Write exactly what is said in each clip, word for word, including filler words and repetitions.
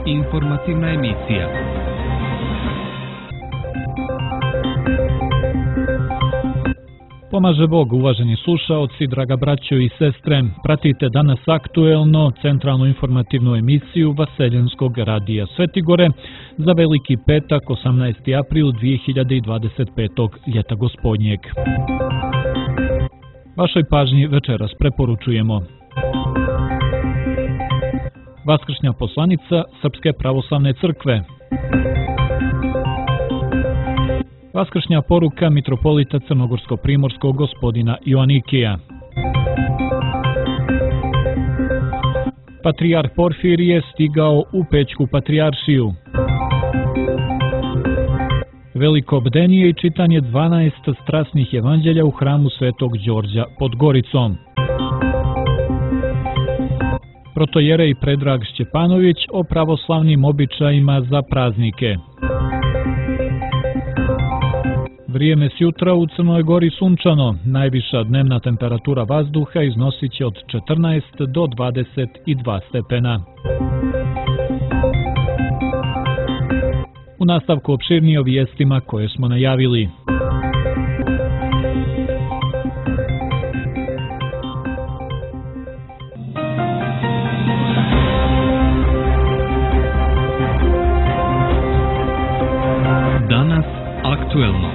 Informativna emisija. Pomaže Bog, uvaženi slušaoci, draga braćo i sestre. Pratite danas aktuelno centralnu informativnu emisiju Vaseljenskog radija Svetigore za Veliki petak, osamnaesti april dvije hiljade dvadeset petog ljeta gospodnjeg. Vašoj pažnji večeras preporučujemo Vaskršnja poslanica Srpske pravoslavne crkve, Vaskršnja poruka mitropolita Crnogorsko-primorskog gospodina Joanikija, Patrijarh Porfirije stigao u Pećku patrijaršiju, Veliko bdenije i čitanje dvanaest strasnih evanđelja u hramu Svetog Đorđa pod Goricom, protojerej Predrag Šćepanović o pravoslavnim običajima za praznike. Vrijeme s jutra u Crnoj Gori sunčano, najviša dnevna temperatura vazduha iznosit će od četrnaest do dvadeset dva stepena. U nastavku opširnije o vijestima koje smo najavili. Danas aktuelno.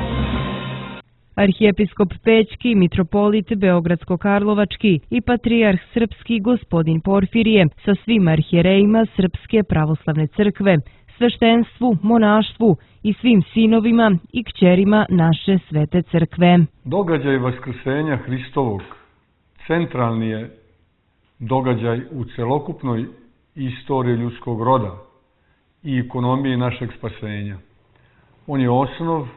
Arhijepiskop Pećki, mitropolit Beogradsko-Karlovački i patrijarh srpski gospodin Porfirije sa svim arhijerejima Srpske pravoslavne crkve, sveštenstvu, monaštvu i svim sinovima i kćerima naše svete crkve. Događaj Vaskrsenja Hristovog centralni je događaj u celokupnoj istoriji ljudskog roda i ekonomiji našeg spasenja. On je osnov,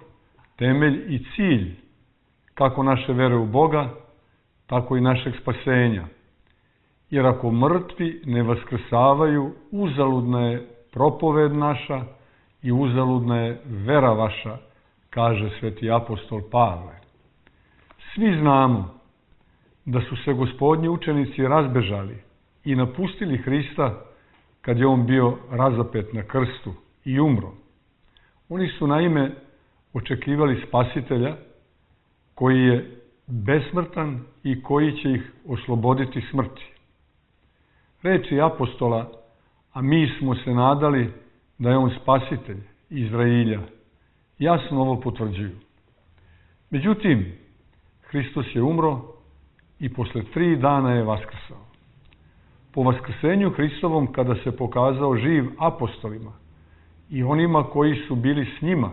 temelj i cilj kako naše vere u Boga, tako i našeg spasenja. Jer ako mrtvi ne vaskrsavaju, uzaludna je propoved naša i uzaludna je vera vaša, kaže sveti apostol Pavle. Svi znamo da su se gospodnji učenici razbežali i napustili Hrista kad je on bio razapet na krstu i umro. Oni su naime očekivali spasitelja koji je besmrtan i koji će ih osloboditi smrti. Reči apostola, a mi smo se nadali da je on spasitelj Izrailja, jasno ovo potvrđuju. Međutim, Hristos je umro i posle tri dana je vaskrsao. Po vaskrsenju Hristovom, kada se pokazao živ apostolima i onima koji su bili s njima,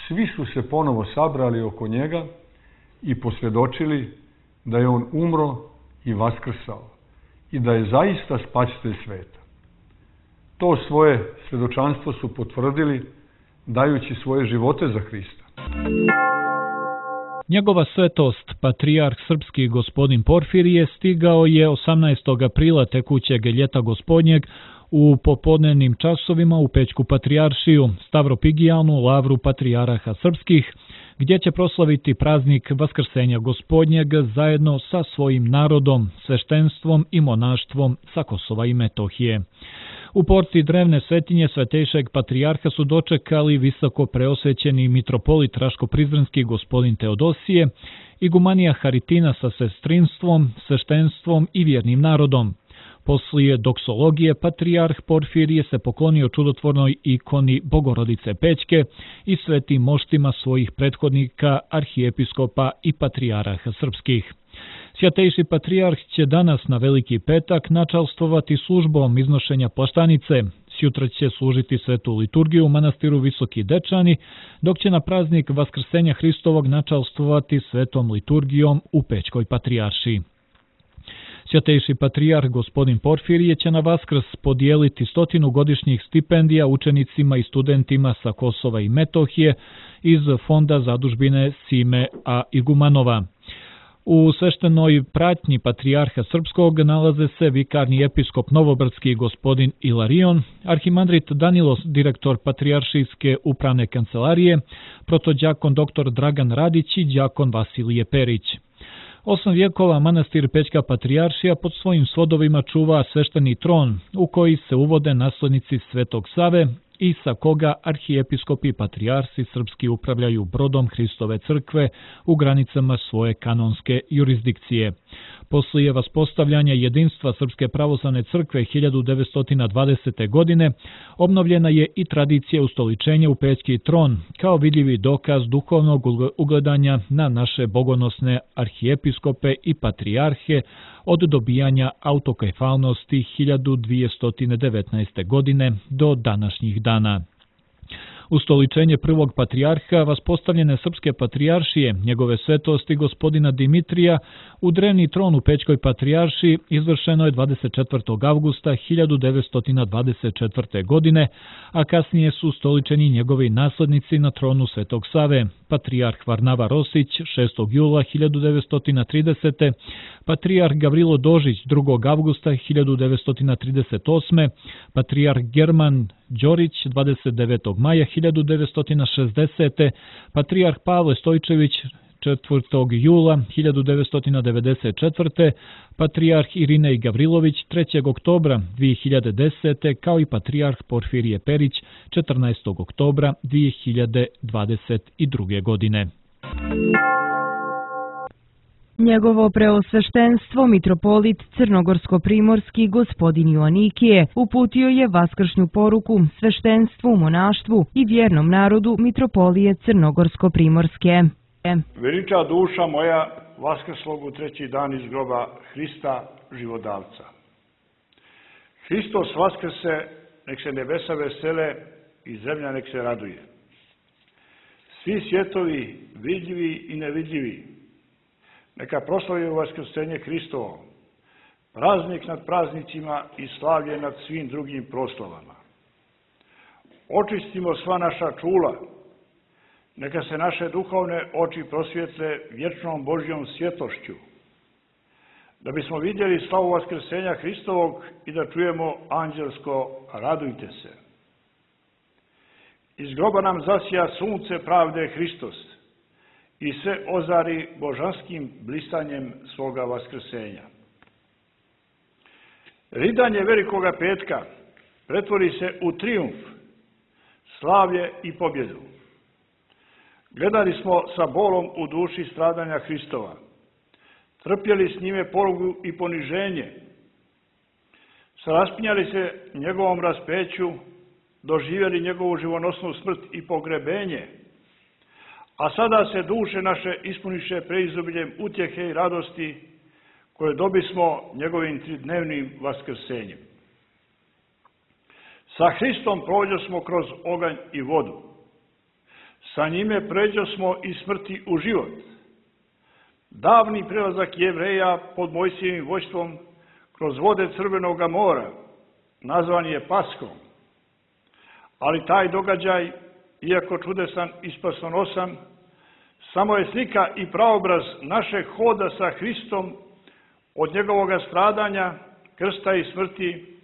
svi su se ponovo sabrali oko njega i posvjedočili da je on umro i vaskrsao i da je zaista spasitelj sveta. To svoje svjedočanstvo su potvrdili dajući svoje živote za Hrista. Njegova svetost, patrijarh srpski gospodin Porfirije, stigao je osamnaestog aprila tekućeg ljeta gospodnjeg u popodnevnim časovima u Pećku patrijaršiju, Stavropigijalnu lavru patrijaraha srpskih, gdje će proslaviti praznik Vaskrsenja gospodnjeg zajedno sa svojim narodom, sveštenstvom i monaštvom sa Kosova i Metohije. U porti drevne svetinje svetejšeg patrijarha su dočekali visoko preosvećeni mitropolit Raško-Prizrenski gospodin Teodosije, igumanija Haritina sa sestrinstvom, sveštenstvom i vjernim narodom. Poslije doksologije, patrijarh Porfirije se poklonio čudotvornoj ikoni Bogorodice Pećke i svetim moštima svojih prethodnika, arhijepiskopa i patrijaraha srpskih. Svjatejši patrijarh će danas na Veliki petak načalstvovati službom iznošenja plaštanice. Sjutra će služiti svetu liturgiju u manastiru Visoki Dečani, dok će na praznik Vaskrsenja Hristovog načalstvovati svetom liturgijom u Pećkoj patrijaršiji. Svjatejši patrijarh gospodin Porfirije će na Vaskrs podijeliti stotinu godišnjih stipendija učenicima i studentima sa Kosova i Metohije iz fonda zadužbine Sime A. Igumanova. U sveštenoj pratnji patrijarha srpskog nalaze se vikarni episkop Novobrdski gospodin Ilarion, arhimandrit Danilo, direktor patrijaršijske upravne kancelarije, protođakon dr. Dragan Radić i đakon Vasilije Perić. Osam vijekova manastir Pećka Patrijaršija pod svojim svodovima čuva svešteni tron u koji se uvode naslednici Svetog Save i sa koga arhijepiskopi i patrijarsi srpski upravljaju brodom Hristove crkve u granicama svoje kanonske jurisdikcije. Poslije vaspostavljanja jedinstva Srpske pravoslavne crkve hiljadu devetsto dvadesete. godine obnovljena je i tradicija ustoličenja u Pećki tron kao vidljivi dokaz duhovnog ugledanja na naše bogonosne arhijepiskope i patrijarhe od dobijanja autokefalnosti hiljadu dvjesto devetnaeste. godine do današnjih dana. Ustoličenje prvog patrijarha vaspostavljene Srpske patrijaršije, njegove svetosti gospodina Dimitrija, u drevni tron u Pećkoj patrijaršiji izvršeno je dvadeset četvrtog avgusta hiljadu devetsto dvadeset četvrte. godine, a kasnije su ustoličeni njegovi naslednici na tronu Svetog Save, patrijarh Varnava Rosić šestog jula hiljadu devetsto tridesete. patrijarh Gavrilo Dožić drugog avgusta hiljadu devetsto trideset osme. patrijarh German Đorić dvadeset devetog maja hiljadu devetsto šezdesete. patrijarh Pavle Stojčević četvrtog jula hiljadu devetsto devedeset četvrte. patrijarh Irinej Gavrilović trećeg oktobra dvije hiljade desete. kao i patrijarh Porfirije Perić četrnaestog oktobra dvije hiljade dvadeset druge. godine. Njegovo preosveštenstvo mitropolit Crnogorsko-primorski gospodin Joanikije uputio je vaskršnju poruku sveštenstvu, monaštvu i vjernom narodu mitropolije Crnogorsko-primorske. Veliča duša moja vaskrslog u treći dan iz groba Hrista živodavca. Hristos vaskrse, nek se nebesa vesele i zemlja nek se raduje. Svi svjetovi, vidljivi i nevidljivi, neka proslavljaju vaskrsenje Hristovo, praznik nad praznicima i slavlje nad svim drugim proslavama. Očistimo sva naša čula, neka se naše duhovne oči prosvjetle vječnom Božjom svjetlošću, da bismo vidjeli slavu vaskrsenja Hristovog i da čujemo anđelsko radujte se. Iz groba nam zasija sunce pravde Hristos i se ozari božanskim blistanjem svoga vaskrsenja. Ridanje velikoga petka pretvori se u trijumf, slavlje i pobjedu. Gledali smo sa bolom u duši stradanja Hristova, trpjeli s njime porugu i poniženje, raspinjali se njegovom raspeću, doživjeli njegovu živonosnu smrt i pogrebenje, a sada se duše naše ispuniše preizobiljem utjehe i radosti koje dobismo njegovim tridnevnim vaskrsenjem. Sa Hristom prođosmo kroz oganj i vodu. Sa njime pređosmo iz smrti u život. Davni prelazak Jevreja pod Mojsijevim vođstvom kroz vode Crvenoga mora nazvan je Paskom. Ali taj događaj, iako čudesan i spasonosan, samo je slika i praobraz našeg hoda sa Hristom od njegovoga stradanja, krsta i smrti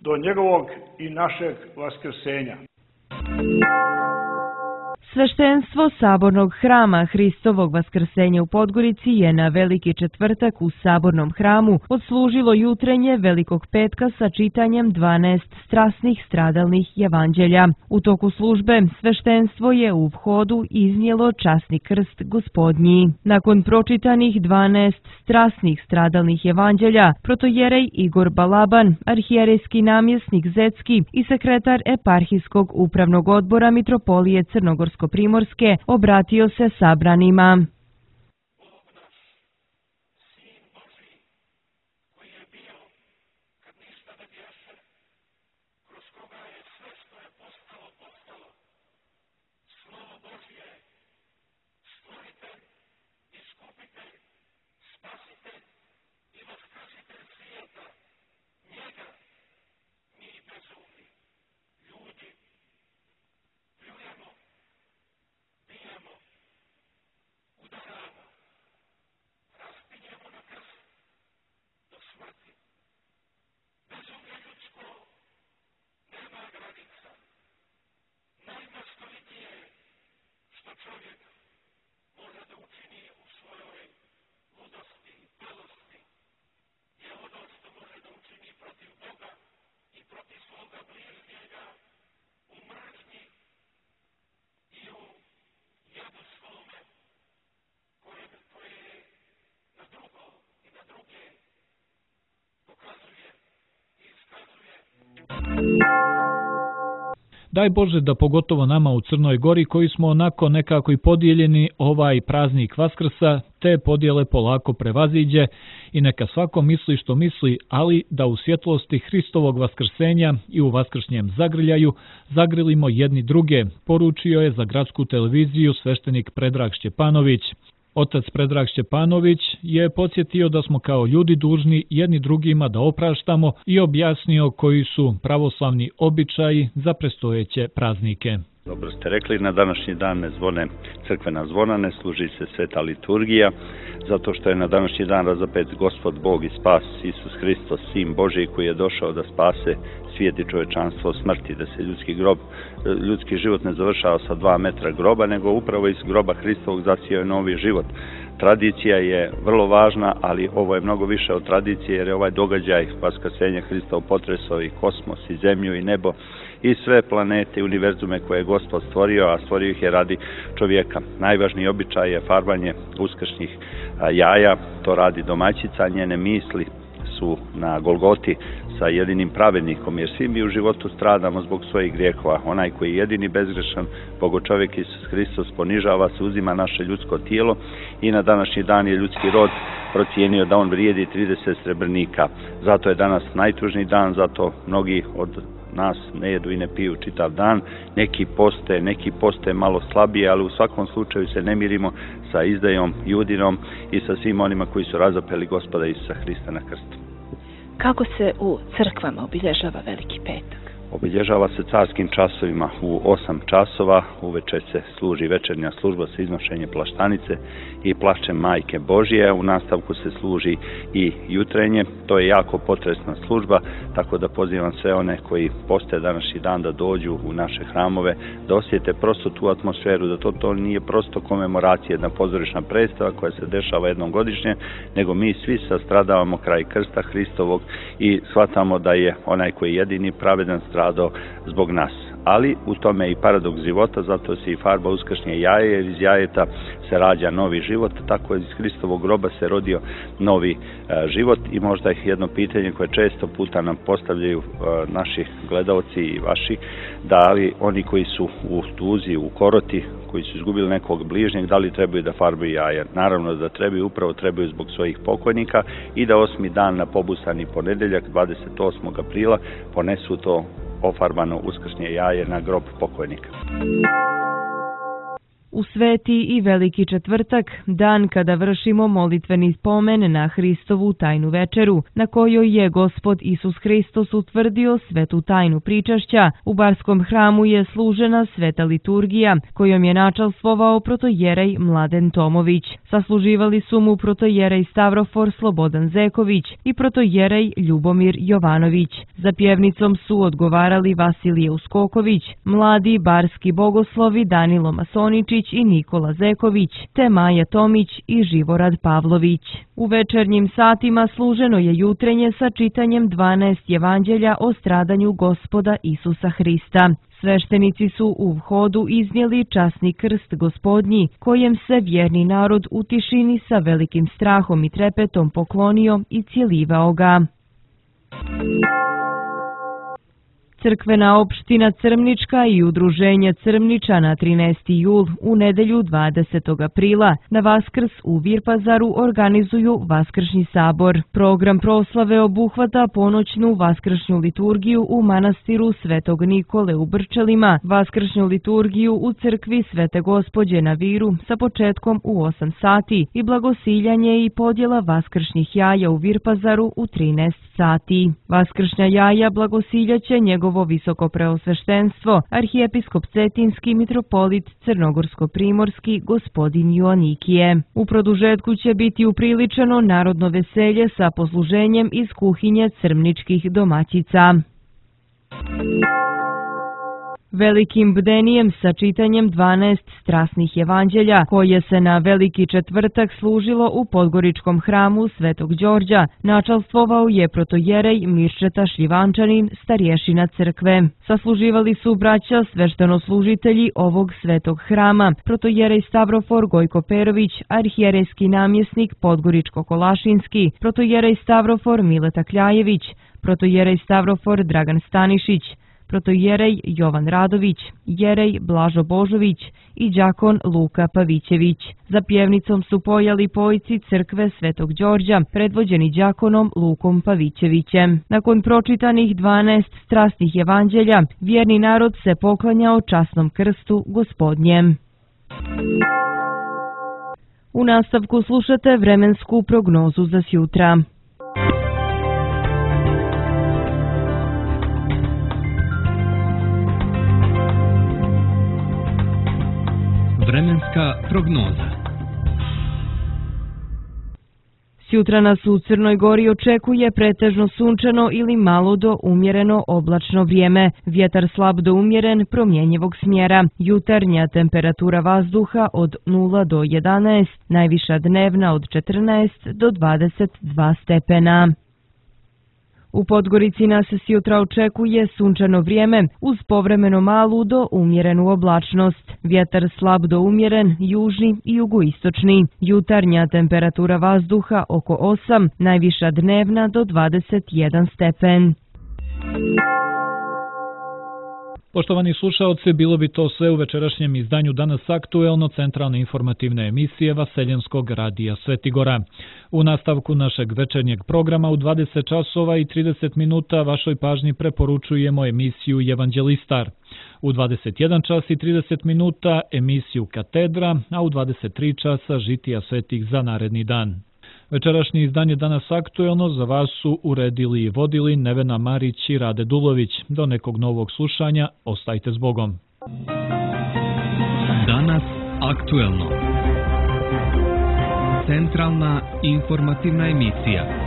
do njegovog i našeg vaskrsenja. Sveštenstvo Sabornog hrama Hristovog vaskrsenja u Podgorici je na Veliki četvrtak u Sabornom hramu odslužilo jutrenje Velikog petka sa čitanjem dvanaest strasnih stradalnih evanđelja. U toku službe sveštenstvo je u vhodu iznijelo časni krst Gospodnji. Nakon pročitanih dvanaest strasnih stradalnih evanđelja, protojerej Igor Balaban, arhijerejski namjesnik Zecki i sekretar eparhijskog upravnog odbora mitropolije Crnogorsko Primorske obratio se sabranima. Daj Bože da pogotovo nama u Crnoj Gori koji smo onako nekako i podijeljeni ovaj praznik Vaskrsa, te podjele polako prevaziđe i neka svako misli što misli, ali da u svjetlosti Hristovog vaskrsenja i u vaskršnjem zagrljaju zagrilimo jedni druge, poručio je za gradsku televiziju sveštenik Predrag Šćepanović. Otac Predrag Šćepanović je podsjetio da smo kao ljudi dužni jedni drugima da opraštamo i objasnio koji su pravoslavni običaji za predstojeće praznike. Dobro ste rekli, na današnji dan ne zvone crkvena zvona, ne služi se sveta liturgija, zato što je na današnji dan razapet Gospod Bog i spas Isus Hristos, Sin Božji koji je došao da spase svijet i čovječanstvo od smrti, da se ljudski grob, ljudski život ne završava sa dva metra groba, nego upravo iz groba Hristovog zasijao je novi život. Tradicija je vrlo važna, ali ovo je mnogo više od tradicije, jer je ovaj događaj vaskrsenja Hristov potresao i kosmos, i zemlju, i nebo, i sve planete i univerzume koje je Gospod stvorio, a stvorio ih je radi čovjeka. Najvažniji običaj je farbanje uskršnjih jaja, to radi domaćica, njene misli su na Golgoti sa jedinim pravednikom, jer svi mi u životu stradamo zbog svojih grijehova. Onaj koji je jedini bezgrešan, Bogočovjek Isus Hristos, ponižava se, uzima naše ljudsko tijelo i na današnji dan je ljudski rod procijenio da on vrijedi trideset srebrnika. Zato je danas najtužniji dan, zato mnogi od nas ne jedu i ne piju čitav dan, neki poste, neki poste malo slabije, ali u svakom slučaju se ne mirimo sa izdajom Judinom i sa svim onima koji su razapeli Gospoda Isusa Hrista na krstu. Kako se u crkvama obilježava Veliki petak? Obilježava se carskim časovima u osam časova, uveče se služi večernja služba sa iznošenjem plaštanice i plašćem Majke Božje, u nastavku se služi i jutrenje, to je jako potresna služba, tako da pozivam sve one koji poste današnji dan da dođu u naše hramove, da osjete prosto tu atmosferu, da to, to nije prosto komemoracija, jedna pozorišna predstava koja se dešava jednom godišnje, nego mi svi sastradavamo kraj krsta Hristovog i shvatamo da je onaj koji je jedini pravedan stradao zbog nas. Ali u tome je i paradoks života, zato se i farba uskršnje jaje, jer iz jajeta se rađa novi život, tako iz Hristovog groba se rodio novi e, život. I možda je jedno pitanje koje često puta nam postavljaju e, naši gledaoci i vaši, da li oni koji su u tuzi, u koroti, koji su izgubili nekog bližnjeg, da li trebaju da farbaju jaja? Naravno da trebaju, upravo trebaju zbog svojih pokojnika i da osmi dan na pobusani ponedeljak, dvadeset osmog aprila, ponesu to ofarbano uskršnje jaje na grob pokojnika. U Sveti i Veliki četvrtak, dan kada vršimo molitveni spomen na Hristovu tajnu večeru, na kojoj je Gospod Isus Hristos utvrdio svetu tajnu pričašća, u Barskom hramu je služena sveta liturgija, kojom je načalstvovao protojerej Mladen Tomović. Sasluživali su mu protojerej Stavrofor Slobodan Zeković i protojerej Ljubomir Jovanović. Za pjevnicom su odgovarali Vasilije Uskoković, mladi barski bogoslovi Danilo Masoničić i Nikola Zeković, te Maja Tomić i Živorad Pavlović. U večernjim satima služeno je jutrenje sa čitanjem dvanaest evanđelja o stradanju Gospoda Isusa Hrista. Sveštenici su u vhodu iznijeli časni krst Gospodnji, kojem se vjerni narod u tišini sa velikim strahom i trepetom poklonio i cijelivao ga. Crkvena opština Crmnička i udruženje Crmničana trinaesti jul u nedelju dvadesetog aprila na Vaskrs u Virpazaru organizuju Vaskršnji sabor. Program proslave obuhvata ponoćnu vaskršnju liturgiju u manastiru Svetog Nikole u Brčelima, vaskršnju liturgiju u crkvi Svete Gospođe na Viru sa početkom u osam sati i blagosiljanje i podjela vaskršnjih jaja u Virpazaru u trinaest sati. Vaskršnja jaja blagosiljaće njegov visoko preosveštenstvo, arhijepiskop Cetinski mitropolit Crnogorsko-primorski gospodin Joanikije. U produžetku će biti upriličeno narodno veselje sa posluženjem iz kuhinje crmničkih domaćica. Velikim bdenijem sa čitanjem dvanaest strasnih evanđelja, koje se na Veliki četvrtak služilo u Podgoričkom hramu Svetog Đorđa, načalstvovao je protojerej Mirčeta Šljivančanin, starješina crkve. Sasluživali su braća sveštenoslužitelji ovog svetog hrama, protojerej Stavrofor Gojko Perović, arhijerejski namjesnik Podgoričko-Kolašinski, protojerej Stavrofor Mileta Kljajević, protojerej Stavrofor Dragan Stanišić, protojerej Jovan Radović, jerej Blažo Božović i đakon Luka Pavićević. Za pjevnicom su pojali pojci crkve Svetog Đorđa, predvođeni đakonom Lukom Pavićevićem. Nakon pročitanih dvanaest strasnih evanđelja, vjerni narod se poklanjao časnom krstu Gospodnjem. U nastavku slušate vremensku prognozu za sjutra. Vremenska prognoza. Sjutra nas u Crnoj Gori očekuje pretežno sunčano ili malo do umjereno oblačno vrijeme. Vjetar slab do umjeren, promjenjivog smjera. Jutarnja temperatura vazduha od nula do jedanaest, najviša dnevna od četrnaest do dvadeset dva stepena. U Podgorici nas sjutra očekuje sunčano vrijeme uz povremeno malu do umjerenu oblačnost. Vjetar slab do umjeren, južni i jugoistočni. Jutarnja temperatura vazduha oko osam, najviša dnevna do dvadeset jedan stepen. Poštovani slušaoci, bilo bi to sve u večerašnjem izdanju Danas aktuelno, centralne informativne emisije Vaseljenskog radija Svetigora. U nastavku našeg večernjeg programa u dvadeset časova i trideset minuta vašoj pažnji preporučujemo emisiju Evanđelistar. U dvadeset jedan čas i trideset minuta emisiju Katedra, a u dvadeset tri časa Žitija svetih za naredni dan. Večerašnje izdanje Danas aktuelno za vas su uredili i vodili Nevena Marić i Rade Dulović. Do nekog novog slušanja, ostajte s Bogom. Danas aktuelno. Centralna informativna emisija.